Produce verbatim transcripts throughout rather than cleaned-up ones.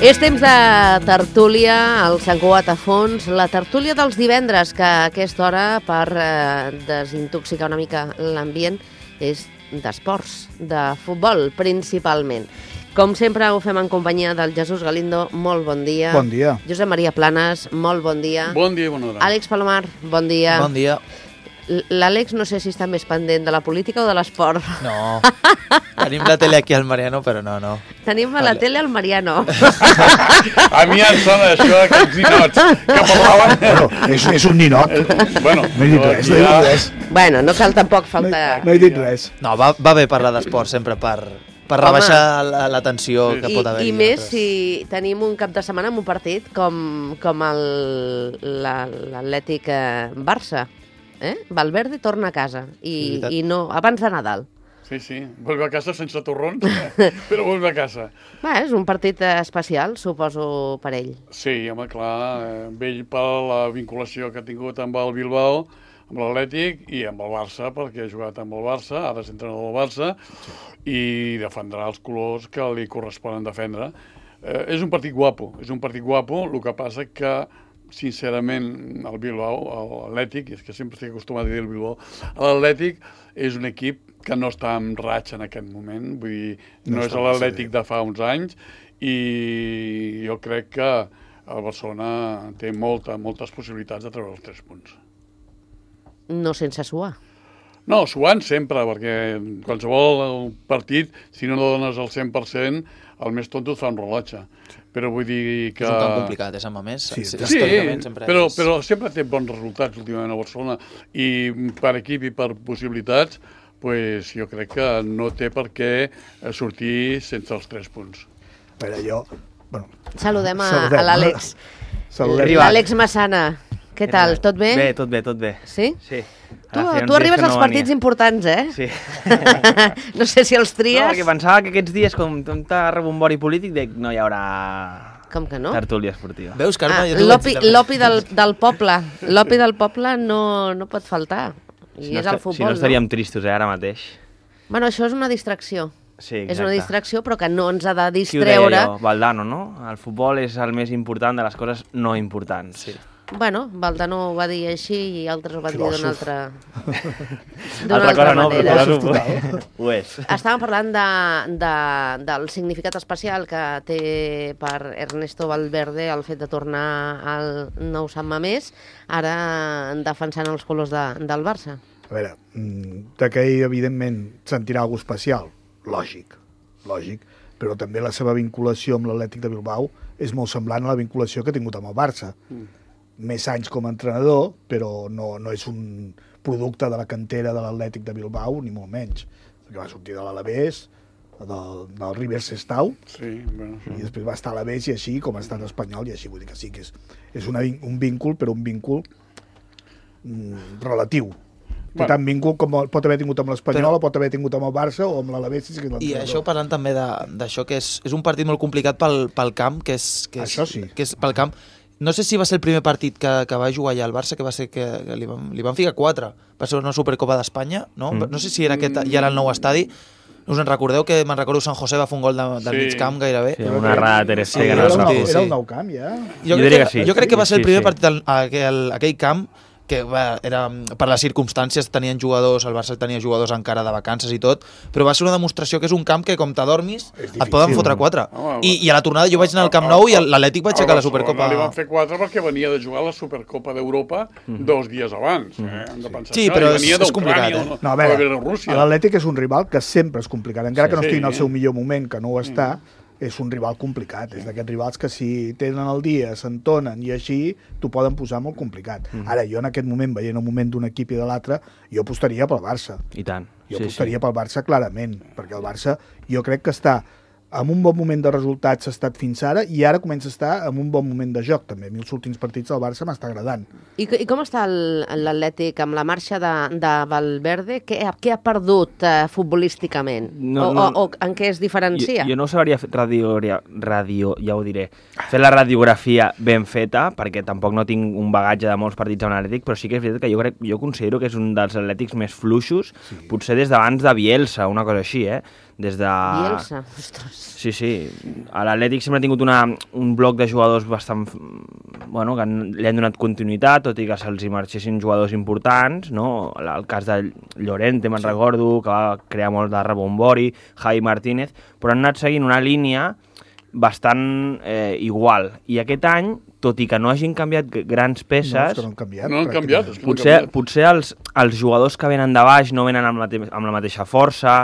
És temps de tertúlia al Sant Cugat a fons, la tertúlia dels divendres, que a aquesta hora, per eh, desintoxicar una mica l'ambient, és d'esports, de futbol, principalment. Com sempre ho fem en companyia del Jesús Galindo, molt bon dia. Bon dia. Josep Maria Planes, molt bon dia. Bon dia i bona hora. Àlex Palomar, bon dia. Bon dia. L'Àlex no sé si està més pendent de la política o de l'esport. No, tenim la tele aquí al Mariano, però no, no. Tenim a la tele al Mariano. A mi em sona això d'aquests ninots que parlaven... Bueno, és, és un ninot. Bueno, No he dit res, no he dit res. Bueno, no cal tampoc No, faltar... no he dit res. No, va, va bé parlar d'esport sempre per, per Home. rebaixar la, la tensió Sí. que I, pot haver. I més si tenim un cap de setmana amb un partit com, com el, la, l'Atlètic eh, Barça. Eh? Valverde torna a casa i, veritat. i no, abans de Nadal. Sí, sí, vuelve a casa sense torrons, però vuelve a casa. Va, és un partit eh, especial, suposo, per ell. Sí, home, clar, eh, vell per la vinculació que ha tingut amb el Bilbao, amb l'Atlètic i amb el Barça, perquè ha jugat amb el Barça, ara és entrenador del Barça, i defendrà els colors que li corresponen defendre. Eh, és un partit guapo, és un partit guapo, el que passa que sincerament, el Bilbao, l'Atlètic, és que sempre estic acostumat a dir el Bilbao, l'Atlètic és un equip que no està en ratxa en aquest moment, vull dir, no, No és està l'Atlètic massa de fa uns anys, i jo crec que el Barcelona té molta, moltes possibilitats de treure els tres punts. No sense suar. No, suant sempre, perquè qualsevol partit, si no dones el cent per cent, el més tonto et fa un rellotge. Però vull dir que... És un camp complicat, és amb a més. Sí, Sí, Sí, històricament sempre però, és... però sempre té bons resultats últimament a Barcelona i per equip i per possibilitats pues, jo crec que no té per què sortir sense els tres punts. A veure, jo... Bueno, Saludem a, Saludem. a l'Àlex. saludem. L'Àlex Massana. Què tal? Tot bé? Bé, tot bé, tot bé. Sí? Sí. Tu, Ara feia uns tu arribes dies que als no partits venia. importants, eh? Sí. No sé si els No, tries... perquè pensava que aquests dies, com tanta rebombori polític, dic, no hi haurà Com que no? tertúlia esportiva. Veus, Carme? Ah, Jo t'ho vaig l'opi dir també. l'opi del, del poble. L'opi del poble no, no pot faltar. I Si no, és el esta- futbol, si no estaríem tristos, eh, ara mateix. Bueno, això és una distracció. Sí, És una exacte. distracció, però que no ens ha de Qui ho deia distreure. jo? Valdano, no? El futbol és el més important de les coses no importants. Sí. Bueno, Valdano ho va dir així i altres ho van dir d'una Filòsof. altra, d'una Altra cosa no, manera. però Filòsof ho, ho és. Estàvem parlant de, de, del significat especial que té per Ernesto Valverde el fet de tornar al nou Sant Mamés, ara defensant els colors de, del Barça. A veure, mm, de que ell, evidentment, sentirà alguna especial, lògic, lògic, però també la seva vinculació amb l'Atlètic de Bilbao és molt semblant a la vinculació que ha tingut amb el Barça. Mm. Més anys com a entrenador, però no, no és un producte de la cantera de l'Atlètic de Bilbao, ni molt menys, perquè va sortir de l'Alavés, del, del River Sestao, Sí, bueno, sí. i després va estar a l'Alavés i així, com ha estat espanyol, i així, vull dir que sí que és, és una, vin- un víncul, però un víncul mm, relatiu. Té Bueno. tant víncul com el- pot haver tingut amb l'Espanyol, Però- o pot haver tingut amb el Barça, o amb l'Alavés. Si és que és I l'entrenador. això parlant també de- d'això, que és, és un partit molt complicat pel, pel camp, que és, que és, Això sí. que és pel camp. No sé si va ser el primer partit que, que va jugar allà al Barça, que va ser que, que li, van, li van ficar quatre. Va ser una Supercopa d'Espanya, no? Mm. No sé si era aquest, ja era el nou estadi. Us en recordeu que me'n recordo Sant José va fer un gol de, del Sí. mig camp gairebé? Sí, una errada de Ter Sí, Stegen era, al el nou, sí, camp. era sí. el nou camp, ja. Jo, Jo crec diria que, que sí. jo crec que va ser el Sí, primer sí. partit al, a aquell, a aquell camp que va, era, per les circumstàncies tenien jugadors, el Barça tenia jugadors encara de vacances i tot, però va ser una demostració que és un camp que com t'adormis És et difícil. poden fotre quatre. Home, I, I a la tornada jo vaig anar al Camp Nou i l'Atlètic va aixecar la Supercopa. Li van fer quatre perquè venia de jugar la Supercopa d'Europa dos dies abans. Eh? Hem de pensar Sí, això. però I venia és- és d'Ucrània, complicat, eh? no, No, a veure, de Rússia. l'Atlètic és un rival que sempre és complicat, encara Sí, que no estigui en el sí. seu millor moment, que no ho està, és un rival complicat. És d'aquests rivals que si tenen el dia, s'entonen i així, t'ho poden posar molt complicat. Ara, jo en aquest moment, veient el moment d'un equip i de l'altre, jo apostaria pel Barça. I tant. Jo Sí, apostaria sí. pel Barça clarament, perquè el Barça jo crec que està en un bon moment de resultats ha estat fins ara i ara comença a estar en un bon moment de joc també. A mi els últims partits del Barça m'està agradant. I, I com està el- l'Atlètic amb la marxa de, de Valverde? Què, ha- què ha perdut eh, futbolísticament? No, o, no. o, o en què es diferencia? Jo, jo no ho sabria fer radio, radio, ja ho diré, fer la radiografia ben feta, perquè tampoc no tinc un bagatge de molts partits amb l'Atlètic, però sí que és veritat que jo, crec, jo considero que és un dels Atlètics més fluixos, sí. Potser des d'abans de Bielsa, una cosa així, eh? des de... Bielsa, ostres. Sí, sí. A l'Atlètic sempre ha tingut una, un bloc de jugadors bastant... Bueno, que li han donat continuïtat, tot i que se'ls hi marxessin jugadors importants, no? El cas de Llorente, me'n sí. recordo, que va crear molt de rebombori, Javi Martínez, però han anat seguint una línia bastant eh, igual. I aquest any, tot i que no hagin canviat grans peces... No, és que no han canviat. No han canviat, és que no han potser, canviat. potser els, els jugadors que venen de baix no venen amb la, amb la mateixa força,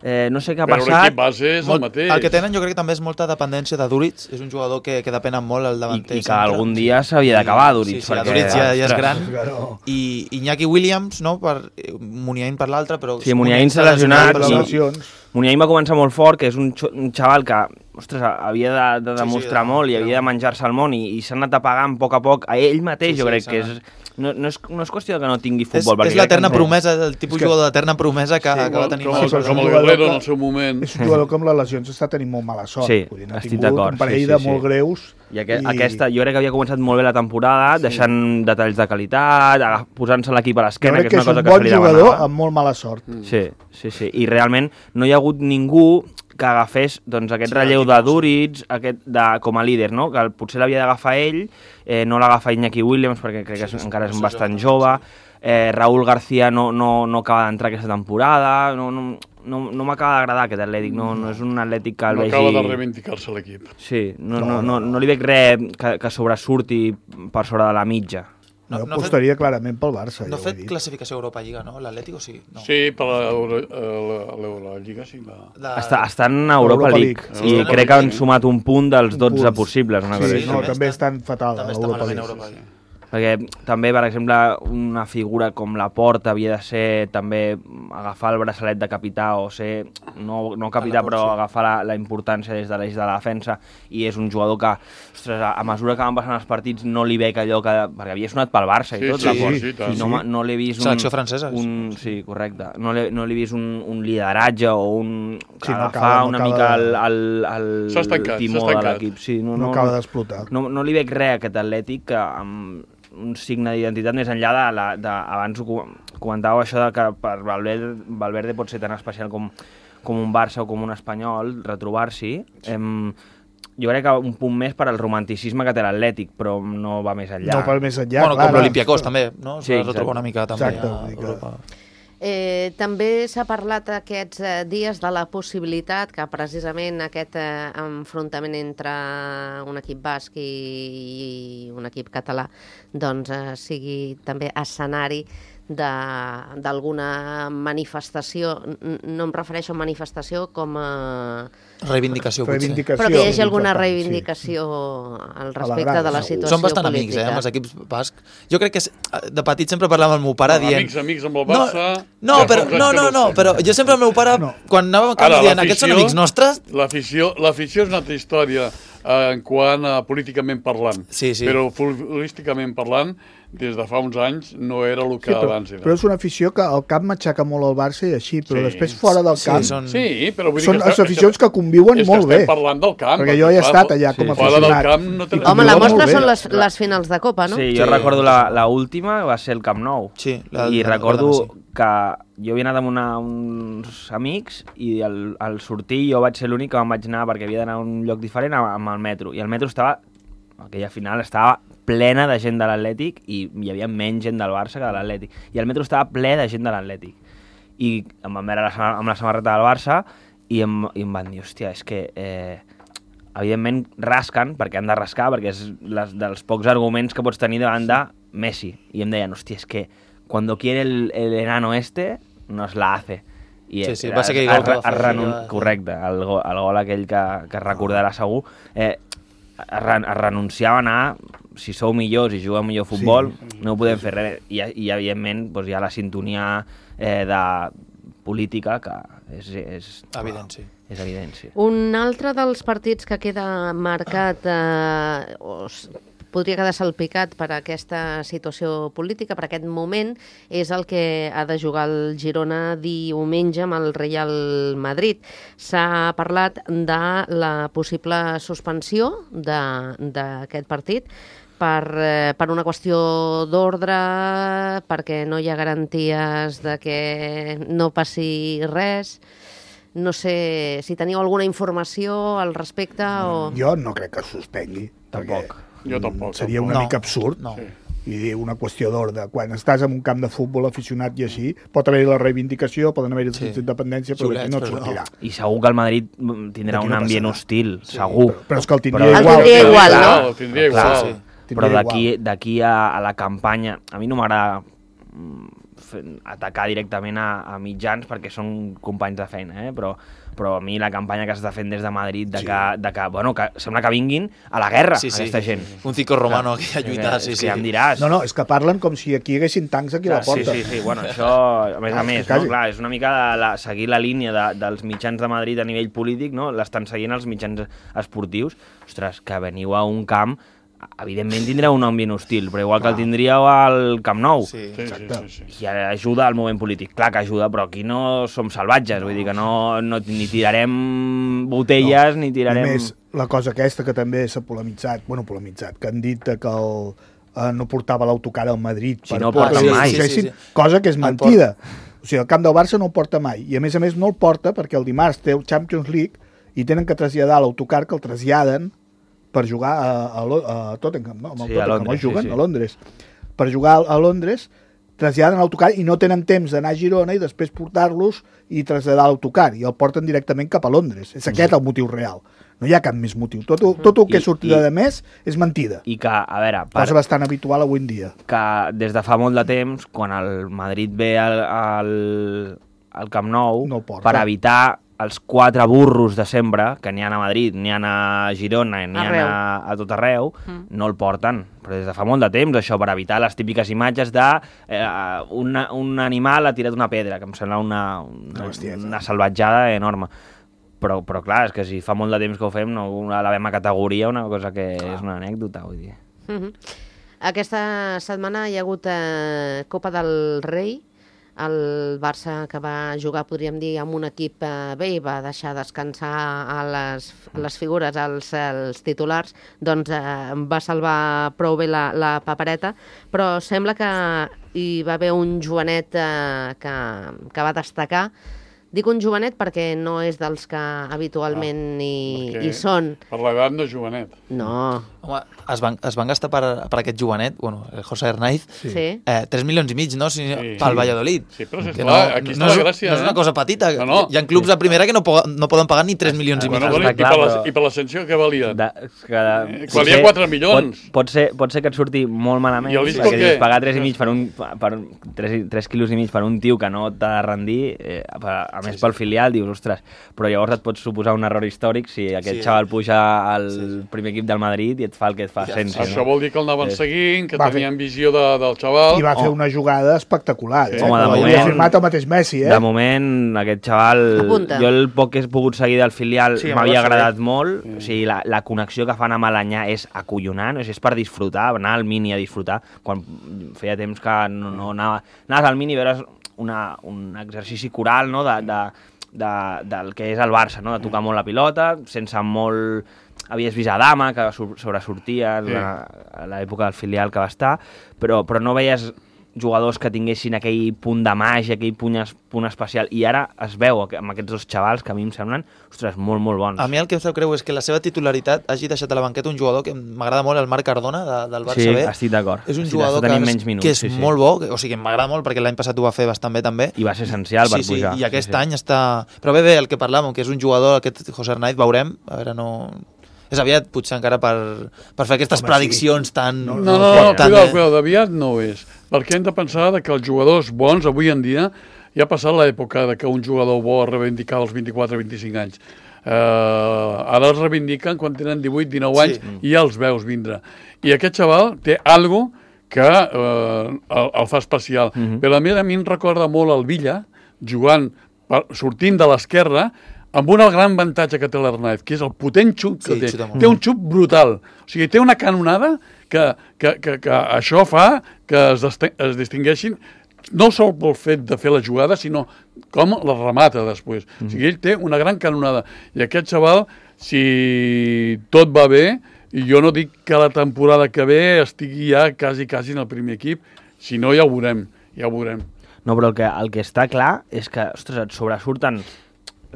eh, no sé què ha Però passat... l'equip base és el mateix. El que tenen jo crec que també és molta dependència de Duric, és un jugador que, que depenen molt el I, davanter. I que algun dia s'havia d'acabar, Duric. Sí, sí, perquè... Duric ja, ja és gran. Claro. I Iñaki Williams, no? Per, Muniain per l'altre, però... Sí, Muniain s'ha lesionat. Per les i- lesions. Muniain va començar molt fort, que és un, xo- un xaval que ostres, havia de, de Sí, sí, demostrar de- molt i havia de menjar-se el món i, i s'ha anat apagant a poc a poc. A ell mateix Sí, jo sí, crec s'ha que és... anat. No, no, és, no és qüestió que no tingui És, futbol. perquè és crec l'eterna que no- promesa, el tipus És que- jugador d'eterna promesa que, Sí, que va tenir com, mala com, sort. com el jugador Guerrero que- en el seu moment. És un jugador que amb les lesions està tenint molt mala sort. Sí, Vull dir, n'ha estic tingut d'acord, un parell sí, sí, de sí. molt greus. I, aqu I- aquesta, jo crec que havia començat molt bé la temporada, sí. deixant detalls de qualitat, agaf- posant-se l'equip a Jo l'esquena, crec que que és és una un cosa que se bon li jugador demanava. amb molt mala sort. Mm. Sí, sí, sí. I realment no hi ha hagut ningú que agafés doncs, aquest Sí, relleu l'equip, de sí. Duric aquest de, com a líder, no? Que el- potser l'havia d'agafar ell, eh, no l'agafa Iñaki Williams perquè crec que és, Sí, sí, encara és sí, bastant sí. jove, eh, Raúl García no, no, no acaba d'entrar aquesta temporada, no, no, no, no m'acaba d'agradar aquest Atlètic, no, no és un Atlètic que el No vegi... acaba de reivindicar-se l'equip. Sí, no, No, no, no, no. no li veig res que, que sobresurti per sobre de la mitja. No, jo no ha fet, apostaria clarament pel Barça. no ha ja ho he fet dit. classificació a Europa Lliga, no? L'Atlètic o sí? No. Sí, per l'Euro- eh, l'Eurolliga sí. La... De... Està, estan a Europa, Europa League, League. i Europa crec que han League. sumat un punt dels Un dotze punt. possibles, una cosa Sí, així. no, també també està- estan fatal a també està l'Europa malament a League. Europa League. Perquè també, per exemple, una figura com la Porta havia de ser també agafar el braçalet de capità o ser, no, no capità, Laporte, però sí. agafar la, la importància des de l'eix de la defensa, i és un jugador que, ostres, a, a mesura que van passant els partits no li veig allò que... perquè havia sonat pel Barça i Sí, tot, sí, Laporte, sí, tant. i no, m'ha- no l'he vist un... Selecció francesa. Un, sí, correcte. No l'he no l'he vist un, un lideratge o un... Sí, no agafar acaba- no una acaba mica de- el, el, el, S'ha estancat, el timó s'ha de estancat. l'equip. Sí, no, No no, acaba no, d'explotar. no, no li veig res a aquest Atlètic que amb un signe d'identitat més enllà de, la, de abans ho com- comentàveu això de que per Valverde, Valverde pot ser tan especial com, com un Barça o com un Espanyol, retrobar-s'hi. Em, jo crec que un punt més per al romanticisme que té l'Atlètic, però no va més enllà. No per més enllà, bueno, clar. com l'Olympiacos també, no? Sí, Sí, exacte. retrobar una mica també Exacte, a vull dir que- Europa. Eh, també s'ha parlat aquests eh, dies de la possibilitat que precisament aquest eh, enfrontament entre un equip basc i, i un equip català doncs, eh, sigui també escenari de- d'alguna manifestació. N- No em refereixo a manifestació com a... Reivindicació, potser. Reivindicació. Però que hi hagi sí, alguna important, reivindicació al respecte grada, de la segur. situació Són bastant política. amics, eh, amb els equips bascs. Jo crec que és, de petit sempre parlava amb el meu pare dient... Amics, amics amb el Barça... No, ja però, fa uns anys no, que no, ho no, sé. però jo sempre el meu pare, No. quan anàvem a camp, Ara, dient, aquests són l'afició- amics nostres, L'afició l'afició és una altra història eh, en quant a políticament parlant. Sí, sí. Però futbolísticament parlant, des de fa uns anys no era el que Sí, però, abans era. però és una afició que al camp matxaca molt el Barça i així, però Sí. després fora del Sí, camp són- Sí, però vull dir són que les aficions que conviuen és que molt bé. estem parlant del camp. Perquè jo he clar, estat allà sí. com a Fora del aficionat. camp no té I res. Home, la Molt mostra bé. són les, les finals de Copa, no? Sí, Sí, jo recordo sí. la, la última va ser el Camp Nou. Sí, la- I la- recordo la- sí. que jo havia anat amb una, uns amics i al, al sortir jo vaig ser l'únic que me'n vaig anar perquè havia d'anar a un lloc diferent amb, amb el metro. I el metro estava, aquella final, estava plena de gent de l'Atlètic i hi havia menys gent del Barça que de l'Atlètic. I el metro estava ple de gent de l'Atlètic. I em van veure la, sama- amb la samarreta del Barça i em, i em van dir, hòstia, és que... Eh, evidentment rasquen, perquè han de rascar, perquè és les, dels pocs arguments que pots tenir davant de Messi. I em deien, hòstia, és que cuando quiere el, el enano este, nos la hace. I Sí, sí, era- va ser aquell es- gol que va es fer, renun- ja- Correcte, el, go, el gol aquell que, que es recordarà segur. Eh, es, ren- es renunciava a anar, si sou millors i jugueu millor futbol, Sí. no podem fer res. I, i evidentment, doncs, hi ha la sintonia eh, de política que és, és, Evident, sí. és evident, sí. Un altre dels partits que queda marcat eh, o s- podria quedar salpicat per aquesta situació política, per aquest moment, és el que ha de jugar el Girona diumenge amb el Real Madrid. S'ha parlat de la possible suspensió de- d'aquest partit per, eh, per una qüestió d'ordre, perquè no hi ha garanties de que no passi res. No sé si teniu alguna informació al respecte o... Jo no crec que es suspengui. Tampoc. Jo tampoc. Seria una No. mica absurd. No. Sí. I dir una qüestió d'ordre. Quan estàs en un camp de futbol aficionat i així, pot haver-hi la reivindicació, poden haver-hi Sí. sí. d'independència, però Xulets, aquí no et però no. sortirà. I segur que el Madrid mm, tindrà Aquí un no ambient passarà. hostil, Sí, segur. Però, però és que el tindria Però- El igual. tindria igual, no? Clar, el tindria Clar, igual. sí. Però Tindria d'aquí igual. d'aquí a, a la campanya, a mi no m'agrada mm, fer- atacar directament a, a mitjans perquè són companys de feina, eh? però, però a mi la campanya que s'està fent des de Madrid de, Sí. que, de que, bueno, que sembla que vinguin a la guerra, Sí, sí. aquesta gent. Un Cico Romano aquí a Que- lluitar, sí, és sí. que ja em diràs. No, no, és que parlen com si aquí hi haguessin tancs aquí a la Sí, porta. sí, sí, bueno, això, a més a Ah, més, quasi. no? Clar, és una mica de la, seguir la línia de, dels mitjans de Madrid a nivell polític, no? L'estan seguint els mitjans esportius. Ostres, que veniu a un camp, evidentment tindreu un ambient hostil, però igual que el tindríeu al Camp Nou. Sí. Sí, sí, Exacte. sí, sí. I ajuda al moment polític. Clar que ajuda, però aquí no som salvatges, vull dir que no, no ni tirarem botelles, no. ni I tirarem... més, la cosa aquesta que també s'ha polemitzat, bueno, polemitzat, que han dit que el, eh, no portava l'autocar al Madrid Si per no el por porta que mai. el Sí, sí, sí. cosa que és El mentida. O sigui, el camp del Barça no el porta mai. I a més a més no el porta perquè el dimarts té el Champions League i tenen que traslladar l'autocar que el traslladen per jugar a, a, Lo- a Tottenham, no? Amb el Sí, a Tottenham, Londres, no juguen sí, sí. a Londres. Per jugar a Londres traslladen l'autocar i no tenen temps d'anar a Girona i després portar-los i traslladar l'autocar i el porten directament cap a Londres. És aquest el motiu real. No hi ha cap més motiu. Tot, tot el que I- sortirà i- de més és mentida. I que, a veure, per, Cosa bastant habitual avui en dia. que des de fa molt de temps, quan el Madrid ve al, al, al Camp Nou, No el porta. per evitar els quatre burros de sempre, que n'hi ha a Madrid, n'hi ha a Girona, n'hi ha Arreu. a, a tot arreu, Mm. no el porten. Però des de fa molt de temps, això, per evitar les típiques imatges de eh, una, un animal ha tirat una pedra, que em sembla una, una, Una bestiesa. una salvatjada enorme. Però, però clar, és que si fa molt de temps que ho fem, no elevem a categoria una cosa que és una anècdota, vull dir. Mhm. Aquesta setmana hi ha hagut eh, Copa del Rei, el Barça que va jugar, podríem dir, amb un equip eh, bé i va deixar descansar a les, a les figures, als, als titulars, doncs eh, va salvar prou bé la, la papereta, però sembla que hi va haver un jovenet eh, que, que va destacar. Dic un jovenet perquè no és dels que habitualment hi, perquè- hi són. Per l'edat no és jovenet. No, Home, es van, es van gastar per, per aquest jovenet, bueno, el José Hernáiz, sí. Sí. eh, tres milions i mig, no? Si, Sí. pel Sí. Valladolid. Sí, però si Que esclar, aquí està no, la és- gràcia, No és una eh? cosa petita. No, no. Hi ha clubs de primera que no, po no poden pagar ni tres milions i mig. Bueno, Està bueno, i, clar, per la, però- I per l'ascensió que valia? De, que, Eh, que valia quatre milions. Pot, pot, ser, pot ser que et surti molt malament, I el Isco perquè què? dius, pagar tres i mig per un, per tres, tres quilos i mig per un tio que no t'ha de rendir, eh, a, a més pel filial, dius, ostres, però llavors et pot suposar un error històric si aquest Sí. xaval puja al Sí. primer equip del Madrid i et fa el que et fa Ja, sense. Això vol dir que el anaven Sí. seguint, que Va fer- tenien visió de, del xaval. I va fer Oh. una jugada espectacular. Sí. Eh? Home, de Ho havia moment- firmat el mateix Messi, eh? De moment, aquest xaval, Apunta. jo el poc que he pogut seguir del filial Sí, m'havia home, agradat sí. molt. Sí. O sigui, la, la connexió que fan amb Alanyà és acollonant, o sigui, és per disfrutar, anar al Mini a disfrutar. Quan feia temps que no, no anava... Anaves al Mini i veure's una, un exercici coral, no?, de, de, de, del que és el Barça, no?, de tocar molt la pilota, sense molt... Havies vist Adama, que sur- sobresortia Sí. a, a l'època del filial que va estar, però, però no veies jugadors que tinguessin aquell punt de màgia, aquell punt, es, punt especial, i ara es veu aqu- amb aquests dos xavals que a mi em semblen, ostres, molt, molt bons. A mi el que em sap greu és que la seva titularitat hagi deixat a la banqueta un jugador que m'agrada molt, el Marc Cardona, de, del Barça sí, B. estic d'acord. És un Estic jugador d'acord, que, tenim és, menys minuts, que és sí, sí. molt bo, que, o sigui, m'agrada molt perquè l'any passat ho va fer bastant bé també. I va ser essencial per sí, pujar. Sí, i aquest sí, sí. any està... Però bé, bé, el que parlàvem, que és un jugador, aquest José Hernáiz, veurem, a veure, no... És aviat, potser encara per, per fer aquestes Home, prediccions tan... No, No, no, no, tan, cuidao, eh, cuidao, d'aviat no ho és. Perquè hem de pensar que els jugadors bons, avui en dia, ja ha passat l'època de que un jugador bo es reivindicava als vint-i-quatre vint-i-cinc anys. Uh, ara els reivindiquen quan tenen divuit dinou anys Sí. i ja els veus vindre. I aquest xaval té algo que uh, el, el fa especial. Uh -huh. Però a mi, a mi em recorda molt el Villa, jugant, per, sortint de l'esquerra, amb un gran avantatge que té l'Hernández, que és el potent xut que Sí, té. xuta molt. Té un xut brutal. O sigui, té una canonada que, que, que, que això fa que es, es distingueixin no sol pel fet de fer la jugada, sinó com la remata després. Mm. O sigui, ell té una gran canonada. I aquest xaval, si tot va bé, i jo no dic que la temporada que ve estigui ja quasi, quasi en el primer equip, si no ja ho veurem, ja ho veurem. No, però el que, el que està clar és que, ostres, et sobresurten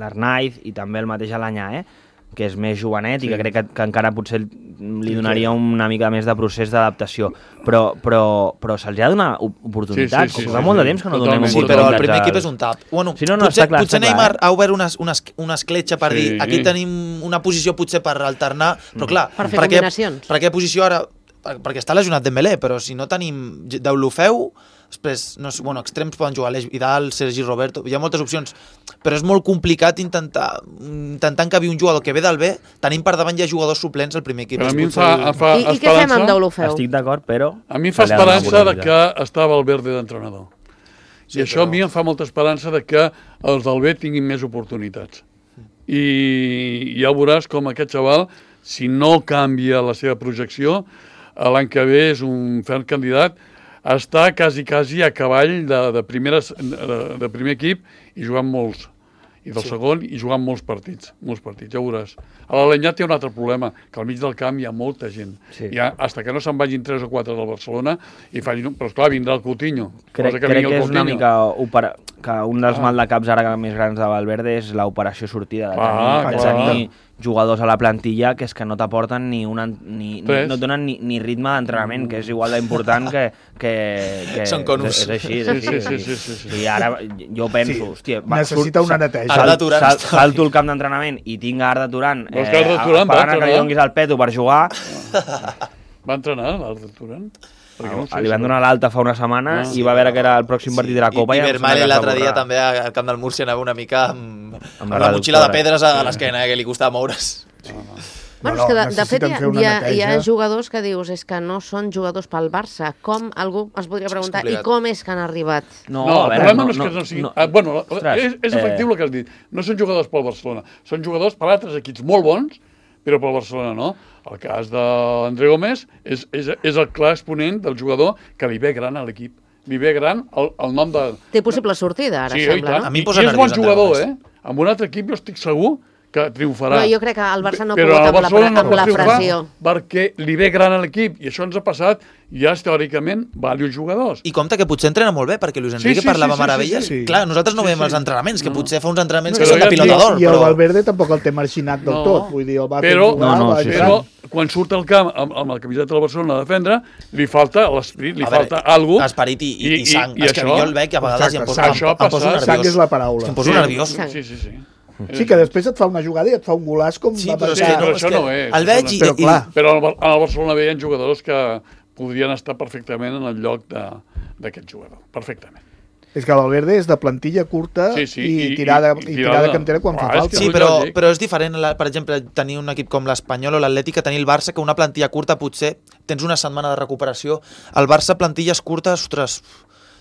l'Arnaiz i també el mateix Alanyà, eh? que és més jovenet sí. i que crec que, que encara potser li donaria una mica més de procés d'adaptació. Però, però, però se'ls ha de donar oportunitats. Sí, sí, sí, fa sí, molt de temps que no donem oportunitats. Sí, però el primer equip és un tap. Bueno, sí, no, no, potser clar, potser Neymar clar, eh? ha obert una, una, una escletxa per sí. dir aquí tenim una posició potser per alternar, però clar, per fer per combinacions. Per aquesta posició ara, perquè està lesionat Dembélé, però si no tenim Deulofeu, després, no sé, bueno, extrems poden jugar l'Eix Vidal, Sergi Roberto, hi ha moltes opcions, però és molt complicat intentar intentar encabir un jugador que ve del B, tenim per davant ja jugadors suplents al primer equip. Però a mi em fa, em fa I, I què fem amb Deulofeu? Estic d'acord, però... A mi em fa esperança de que estava Valverde d'entrenador. Sí, I això però... a mi em fa molta esperança de que els del B tinguin més oportunitats. I ja veuràs com aquest xaval, si no canvia la seva projecció, l'any que ve és un ferm candidat està quasi, quasi a cavall de, de, primeres, de, de primer equip i jugant molts. I del sí. segon i jugant molts partits. Molts partits, ja veuràs. A l'Alenyà té un altre problema, que al mig del camp hi ha molta gent. Sí. I hasta que no se'n vagin tres o quatre del Barcelona, i facin, però esclar, vindrà el Coutinho. Crec que, crec que és una mica opera, que un dels ah. maldecaps ara més grans de Valverde és l'operació sortida. De tenir, ah, de tenir jugadors a la plantilla que és que no t'aporten ni una... Ni, ni, no et donen ni, ni ritme d'entrenament, que és igual d'important que... que, que Són conus. És, és així, és així. Sí, sí, sí, sí, sí. I ara jo penso, sí. hòstia... Va, necessita una neteja. Sal, sal, sal, salto el camp d'entrenament i tinc Arda Turan eh, esperant que li donguis el peto per jugar... Va entrenar l'Arda Turan? No sé, li van donar l'alta fa una setmana ah, i va veure que era el pròxim partit de la Copa. I, i Vermaelen l'altre dia també al camp del Múrcia anava una mica amb, amb, amb la motxilla de pedres a l'esquena, eh, que li costava moure's. Sí. Bueno, és que de, de fet hi ha, hi, ha, hi ha jugadors que dius és que no són jugadors pel Barça. Com algú es podria preguntar, i com és que han arribat? No, no el problema no, no és que no siguin... No, ah, bueno, ostres, és, és efectiu eh... el que has dit. No són jugadors pel Barcelona, són jugadors per altres equips molt bons, però pel Barcelona no. El cas d'André Gómez és, és, és el clar exponent del jugador que li ve gran a l'equip. Li ve gran el, el nom de... Té possible sortida, ara sí, sembla, no? A mi em posa I és bon jugador, eh? Amb un altre equip jo estic segur que triomfarà. No, jo crec que el Barça no ha pogut amb, la, no amb la pressió. Perquè li ve gran a l'equip, i això ens ha passat ja teòricament diversos jugadors. I compte que potser entrena molt bé, perquè Luis Enrique sí, sí, parlava sí, meravelles. Sí, sí, sí. Clar, nosaltres no sí, veiem sí. els entrenaments, que no. potser fa uns entrenaments no, que són de pilotador. I, i el però... Valverde tampoc el té marginat del no. tot. Vull dir, el va però, fer jugar, no, no, va sí, però quan surt al camp amb, amb el camiseta del Barcelona a defendre, li falta l'esperit, li falta alguna cosa. Esperit i, i, i sang. I, i és que jo el veig a vegades i em poso nerviós. Sang és la paraula. Em poso nerviós. Sí, sí, sí. Sí, que després et fa una jugada i et fa un golaç com... Sí, però, és que, no, però això no és. El veig i... Però, clar. Però al Barcelona veien jugadors que podrien estar perfectament en el lloc d'aquest jugador. Perfectament. És que Valverde és de plantilla curta sí, sí, i, i tirada i, i tirada cantera quan ah, fa falta. Sí, però, però és diferent, per exemple, tenir un equip com l'Espanyol o l'Atlètic que tenir el Barça, que una plantilla curta potser tens una setmana de recuperació. El Barça, plantilles curtes, ostres...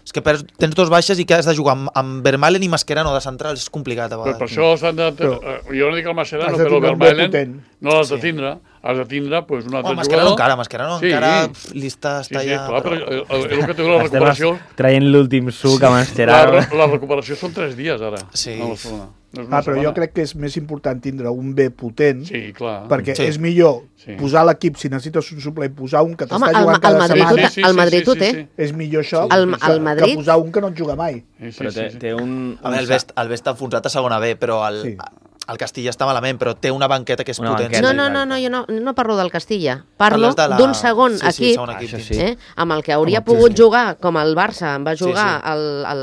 És que perds, tens dos baixes i que has de jugar amb, amb Vermaelen i Mascherano de centrals, és complicat a vegades. Però per això s'han de... Però, jo no dic el Mascherano, però el Vermaelen no l'has de tindre. Has de tindre pues, un altre oh, Mascherano jugador. encara, Mascherano sí. encara li està, està sí, sí, ja... Clar, però el, el, el que té la recuperació... Traient l'últim suc a Mascherano. La, la recuperació són tres dies, ara. Sí. A Barcelona. No ah, però jo crec que és més important tindre un B potent, sí, clar. perquè sí. és millor sí. posar l'equip, si necessites un suplent, posar un que t'està Home, jugant el, cada el Madrid setmana. Sí, sí, sí, el Madrid ho té. Sí, sí, sí. És millor això sí. el, el que, Madrid... que posar un que no et juga mai. Sí, sí, però té, sí, sí. té un... A veure, el Best, el Best enfonsat a segona B, però el, sí. el Castilla està malament, però té una banqueta que és una potent. Banqueta, no, no, no, no, jo no, no parlo del Castilla. Parlo d'un segon sí, sí, equip, segon equip ah, sí. eh, amb el que hauria com pogut sí. jugar, com el Barça va jugar sí, sí. El, el,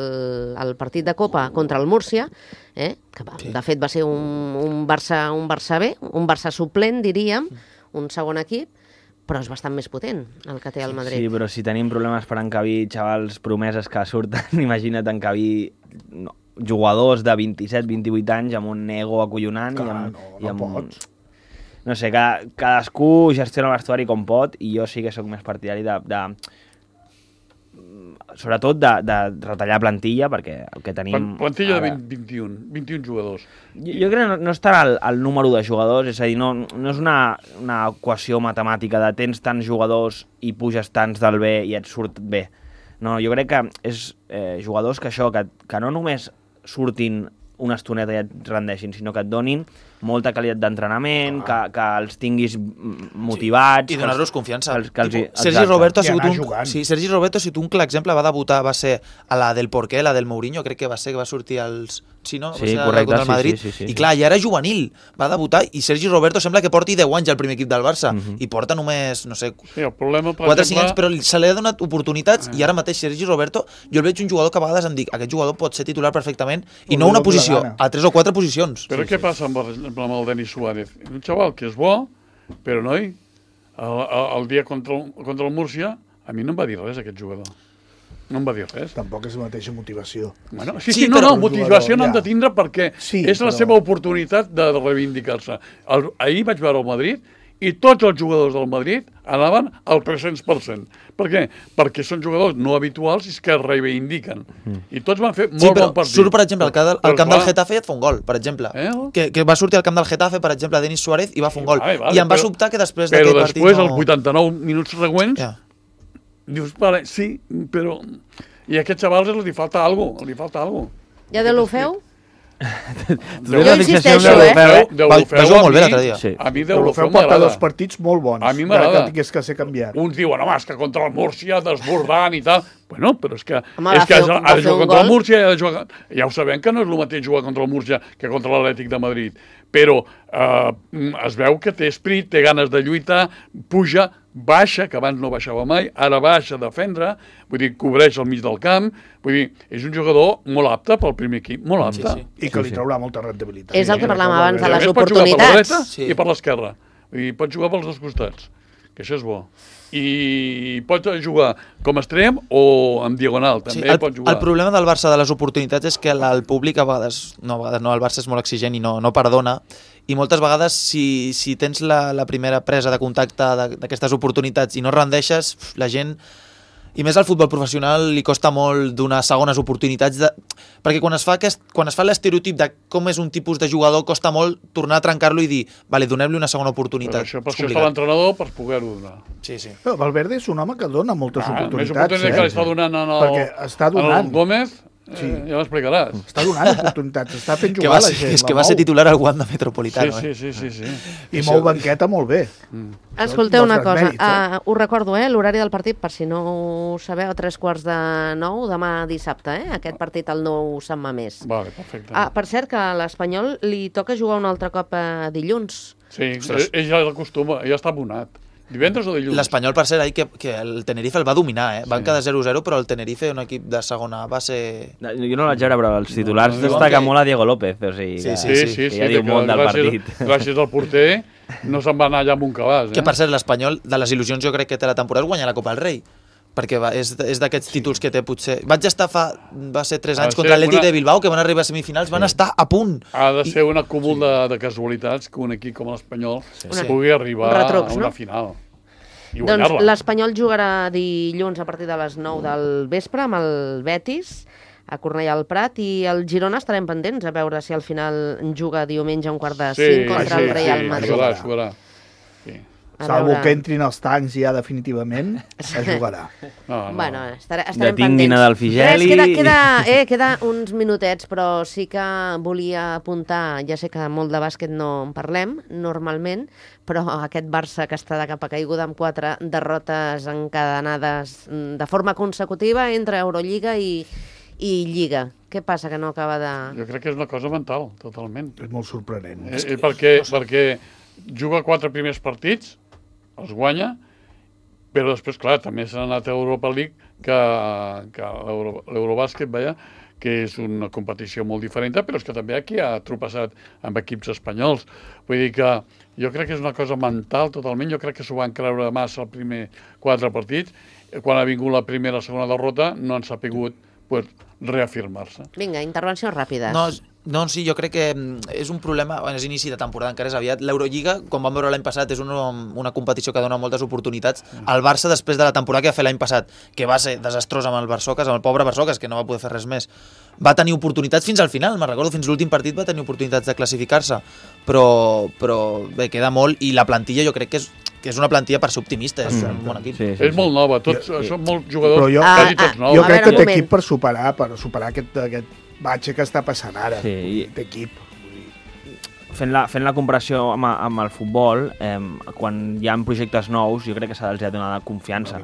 el partit de Copa contra el Múrcia, eh, que va, sí. de fet va ser un, un, Barça, un Barça B, un Barça suplent, diríem, un segon equip, però és bastant més potent el que té el Madrid. Sí, però si tenim problemes per encabir xavals promeses que surten, imagina't encabir no, jugadors de vint-i-set vint-i-vuit anys amb un ego acollonant. Clar, i amb, no, i amb, no pots. No sé, cada, cadascú gestiona el vestuari com pot i jo sí que sóc més partidari de... de sobretot de, de retallar plantilla, perquè el que tenim... Plantilla ara... de vint-i-un, vint-i-un jugadors. Jo, jo crec que no, no estarà el, el número de jugadors, és a dir, no, no és una, una equació matemàtica de tens tants jugadors i puges tants del B i et surt bé. No, jo crec que és eh, jugadors que això, que, que no només surtin una estoneta i et rendeixin, sinó que et donin molta qualitat d'entrenament, que, que els tinguis motivats... I donar-los confiança. Que els, que els, Tipo, Sergi Roberto ha I sigut anar un... jugant. Sí, Sergi Roberto ha sigut un clar exemple, va debutar, va ser a la del Porqué, la del Mourinho, crec que va ser que va sortir als... Sí, no? Va Sí, ser correcte, contra el sí, Madrid. sí, sí, sí, I sí. clar, ja era juvenil, va debutar, i Sergi Roberto sembla que porti deu anys al primer equip del Barça, Mhm. i porta només, no sé, Sí, el problema, per quatre o cinc exemple... anys, però se li ha donat oportunitats, i ara mateix Sergi Roberto, jo el veig un jugador que a vegades em dic, aquest jugador pot ser titular perfectament, i Pot no fer una el que posició, la gana. a tres o quatre posicions. Però què passa amb el, amb el Denis Suárez? Un xaval que és bo, però noi, el, el, el dia contra el, contra el Múrcia, a mi no em va dir res aquest jugador. No em va dir res. Tampoc és la mateixa motivació. Bueno, sí, Sí, sí, no, però- no, motivació Ja. n'han de tindre perquè Sí, és la però- seva oportunitat de reivindicar-se. El- Ahir vaig veure el Madrid i tots els jugadors del Madrid anaven al tres-cents per cent. Per què? Perquè són jugadors no habituals i que es reivindiquen. I tots van fer molt Sí, però bon partit. surt, per exemple, al, camp del- al Però, camp del clar, Getafe i et fa un gol, per exemple. Eh? Que, que va sortir al camp del Getafe, per exemple, Denis Suárez, i va fer un gol. Vale, vale, I em va però- sobtar que després Però d'aquest partit després, no... als vuitanta-nou minuts següents, Ja. dius, vale, sí, però... I a aquest xaval li falta alguna cosa, li falta alguna cosa. Ja de l'Ofeu? Tu Jo tens la fixació insisteixo, amb eh? l'Olofeu, Va, va Deulofeu jugar a molt bé mi- l'altre dia. Sí. A mi Deulofeu Deulofeu porta m'agrada. dos partits molt bons. A mi encara m'agrada. que tingués que ser canviat. Uns diuen, home, és que contra el Múrcia desbordant i tal. Bueno, però és que, Home, és va que fer ha un- de va fer jugar un contra el gol. Múrcia i ha de jugar... Ja ho sabem que no és el mateix jugar contra el Múrcia que contra l'Atlètic de Madrid, però eh, es veu que té esprit, té ganes de lluitar, puja, baixa, que abans no baixava mai, ara baixa a defendre, vull dir, cobreix al mig del camp, vull dir, és un jugador molt apte pel primer equip, molt apte. Sí, I que li traurà molta rendibilitat. És el que parlàvem Sí, abans de I a les més pot jugar per la oportunitats. dreta Sí. i per l'esquerra. Vull dir, pot jugar pels dos costats, que això és bo. I pot jugar com a extrem o en diagonal, Sí, també el, pot jugar. el problema del Barça de les oportunitats és que la- el públic a vegades, no, a vegades no, el Barça és molt exigent i no, no perdona, i moltes vegades si, si tens la, la primera presa de contacte de- d'aquestes oportunitats i no rendeixes, pf, la gent, i més al futbol professional, li costa molt donar segones oportunitats, de, perquè quan es fa aquest, quan es fa l'estereotip de com és un tipus de jugador, costa molt tornar a trencar-lo i dir, vale, donem-li una segona Però oportunitat. això, per És això està complicat. l'entrenador per poder-ho donar. Sí, sí. Però Valverde és un home que dona moltes Ah, més oportunitats. oportunitats que Eh? li està donant en el, Perquè està en donant. el Gómez, Sí. eh, ja m'explicaràs. Està donant oportunitats, està fent Que jugar va la ser, gent. és que la va ser mou. titular al Wanda Sí, Metropolitano. sí, eh? sí, sí, sí. I mou banqueta molt bé. Escolteu una Dels cosa, mèrits, eh? uh, us recordo, eh, l'horari del partit, per si no ho sabeu, a tres quarts de nou, demà dissabte, eh? Aquest partit al nou Sant Mamés. Vale, perfecte. Ah, per cert, que a l'Espanyol li toca jugar un altre cop a dilluns. Sí, ell, ell ja l'acostuma, ja està abonat. Divendres o dilluns? L'Espanyol, per cert, ahir que, que el Tenerife el va dominar, eh? Van quedar zero zero, però el Tenerife, un equip de segona, va ser... No, jo no el vaig veure, però els titulars no, no, no, destaca que- molt a Diego López, o sigui, Sí, que, sí, Sí, sí, que sí, ja diu que molt del gràcies, partit. gràcies al porter no se'n va anar allà amb un cabàs. Eh? Que, per cert, l'Espanyol, de les il·lusions jo crec que té la temporada, és guanyar la Copa del Rei. Perquè va, és, és d'aquests títols que té potser... Vaig estar fa... Va ser tres Ha anys de contra ser l'Atlètic una- de Bilbao, que van arribar a semifinals, van estar a punt. Ha de ser un acúmul de, de casualitats que un equip com l'Espanyol Una- pugui arribar un retrucs, a una no? final. I Doncs guanyar-la. l'Espanyol jugarà dilluns a partir de les nou del vespre amb el Betis a Cornellà al Prat, i el Girona estarem pendents a veure si al final juga diumenge a un quart de cinc contra el Real Madrid. Jugarà, jugarà. Sí. A Salvo veure- que entrin els tancs ja definitivament, es jugarà. No, no. Bueno, estarà, estarem Detinguin pendents. a Dalfigeli. Res, queda, queda, eh, queda uns minutets, però sí que volia apuntar, ja sé que molt de bàsquet no en parlem normalment, però aquest Barça que està de capa caiguda amb quatre derrotes encadenades mm, de forma consecutiva entre Eurolliga i, i Lliga. Què passa que no acaba de... Jo crec que és una cosa mental, totalment. És molt sorprenent. Eh, eh, perquè, perquè juga quatre primers partits, els guanya, però després, clar, també s'ha anat a Europa League, que, que l'Euro- l'Eurobàsquet, veia, que és una competició molt diferent, però és que també aquí ha tropeçat amb equips espanyols. Vull dir que jo crec que és una cosa mental totalment, jo crec que s'ho van creure massa els primers quatre partits. Quan ha vingut la primera o segona derrota no han sapigut pues, reafirmar-se. Vinga, intervencions ràpides. No, no, sí, jo crec que mm, és un problema, bueno, és inici de temporada, encara és aviat. L'Eurolliga, com vam veure l'any passat, és una, una competició que dona moltes oportunitats. El Barça, després de la temporada que va fer l'any passat, que va ser desastrós amb el Barçocas, amb el pobre Barçocas, que no va poder fer res més, va tenir oportunitats fins al final, me'n recordo, fins l'últim partit va tenir oportunitats de classificar-se, però, però bé, queda molt, i la plantilla jo crec que és, que és una plantilla per ser optimista, és un bon equip. Sí, sí, És molt nova, tots, Jo- són molts jugadors, Però jo- quasi Ah, tots ah, nous. Jo A crec veure, que un té moment. equip per superar, per superar aquest, aquest batxe que està passant ara. Sí, i- Té equip. fent la, fent la comparació amb, amb el futbol, eh, quan hi ha projectes nous, jo crec que s'ha de donar confiança.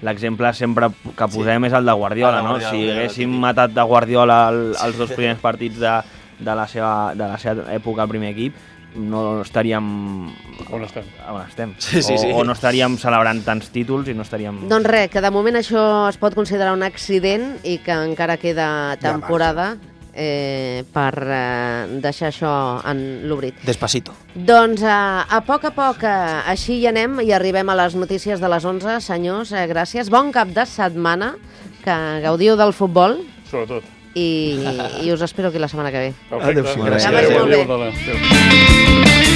L'exemple sempre que posem sí. és el de Guardiola, no? Guardiola, si haguéssim matat de Guardiola el, els dos primers partits de, de, la seva, de la seva època al primer equip, no estaríem... On estem. On estem. Sí, sí, sí. O, o no estaríem celebrant tants títols i no estaríem... Doncs res, que de moment això es pot considerar un accident i que encara queda temporada eh, per eh, deixar això en l'obrit. Despacito. Doncs eh, a poc a poc eh, així hi anem i arribem a les notícies de les onze. Senyors, eh, gràcies. Bon cap de setmana, que gaudiu del futbol. Sobretot. I, i us espero aquí la setmana que ve. Perfecte. Adéu-siau. Que vagi molt bé. Adéu.